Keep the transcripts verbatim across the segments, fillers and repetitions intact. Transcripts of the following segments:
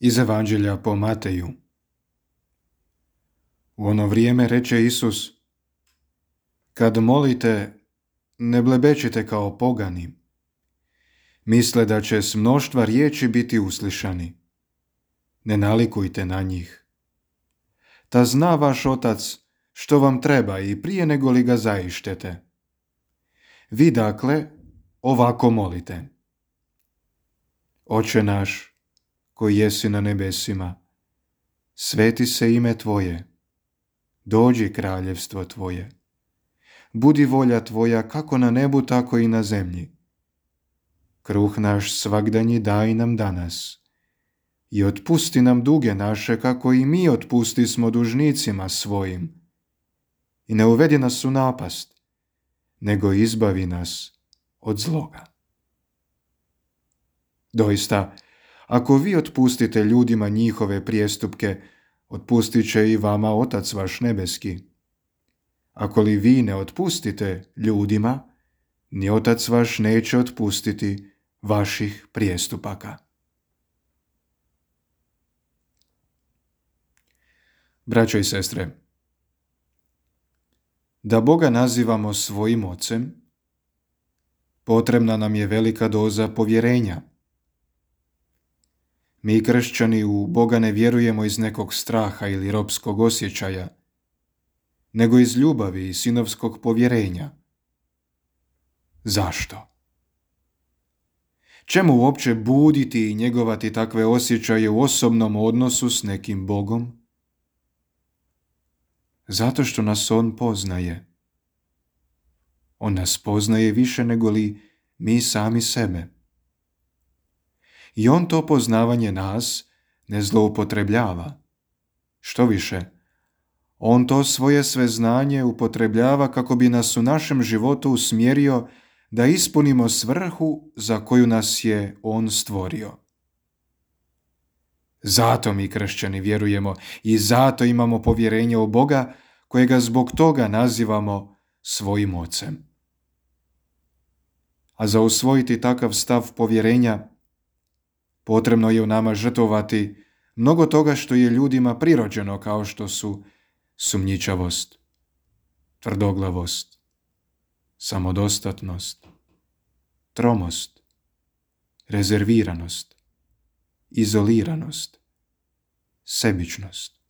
Iz Evanđelja po Mateju. U ono vrijeme reče Isus: Kad molite, ne blebečite kao pogani, misle da će s mnoštva riječi biti uslišani. Ne nalikujte na njih. Ta zna vaš Otac što vam treba i prije nego li ga zaištete. Vi dakle ovako molite: Oče naš, koji jesi na nebesima, sveti se ime Tvoje, dođi kraljevstvo Tvoje. Budi volja Tvoja kako na nebu, tako i na zemlji. Kruh naš svagdanji daj nam danas i otpusti nam duge naše, kako i mi otpustismo dužnicima svojim. I ne uvedi nas u napast, nego izbavi nas od zloga. Doista, ako vi otpustite ljudima njihove prijestupke, otpustit će i vama Otac vaš nebeski. Ako li vi ne otpustite ljudima, ni Otac vaš neće otpustiti vaših prijestupaka. Braćo i sestre, da Boga nazivamo svojim Ocem, potrebna nam je velika doza povjerenja. Mi kršćani u Boga ne vjerujemo iz nekog straha ili ropskog osjećaja, nego iz ljubavi i sinovskog povjerenja. Zašto? Čemu uopće buditi i njegovati takve osjećaje u osobnom odnosu s nekim Bogom? Zato što nas On poznaje. On nas poznaje više nego li mi sami sebe. I On to poznavanje nas ne zloupotrebljava. Što više, On to svoje sveznanje upotrebljava kako bi nas u našem životu usmjerio da ispunimo svrhu za koju nas je On stvorio. Zato mi kršćani vjerujemo i zato imamo povjerenje u Boga, kojega zbog toga nazivamo svojim Ocem. A za usvojiti takav stav povjerenja potrebno je u nama žrtvovati mnogo toga što je ljudima prirođeno, kao što su sumnjičavost, tvrdoglavost, samodostatnost, tromost, rezerviranost, izoliranost, sebičnost.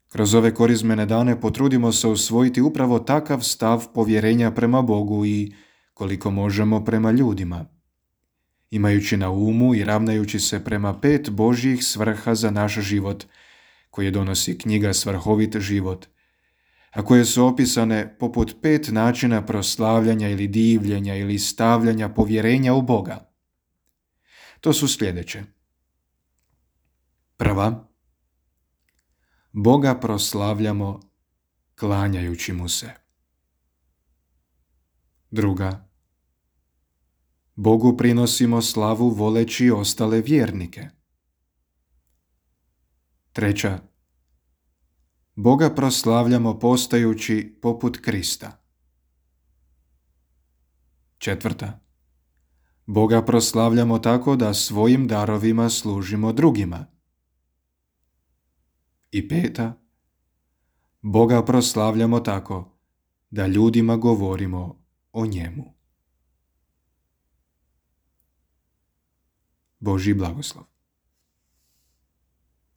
Kroz ove korizmene dane potrudimo se usvojiti upravo takav stav povjerenja prema Bogu i, koliko možemo, prema ljudima, imajući na umu i ravnajući se prema pet Božjih svrha za naš život, koje donosi knjiga Svrhovit život, a koje su opisane poput pet načina proslavljanja ili divljenja ili stavljanja povjerenja u Boga. To su sljedeće. Prva, Boga proslavljamo klanjajući mu se. Druga, Bogu prinosimo slavu voleći ostale vjernike. Treća, Boga proslavljamo postajući poput Krista. Četvrta, Boga proslavljamo tako da svojim darovima služimo drugima. I peta, Boga proslavljamo tako da ljudima govorimo o njemu. Božji blagoslov.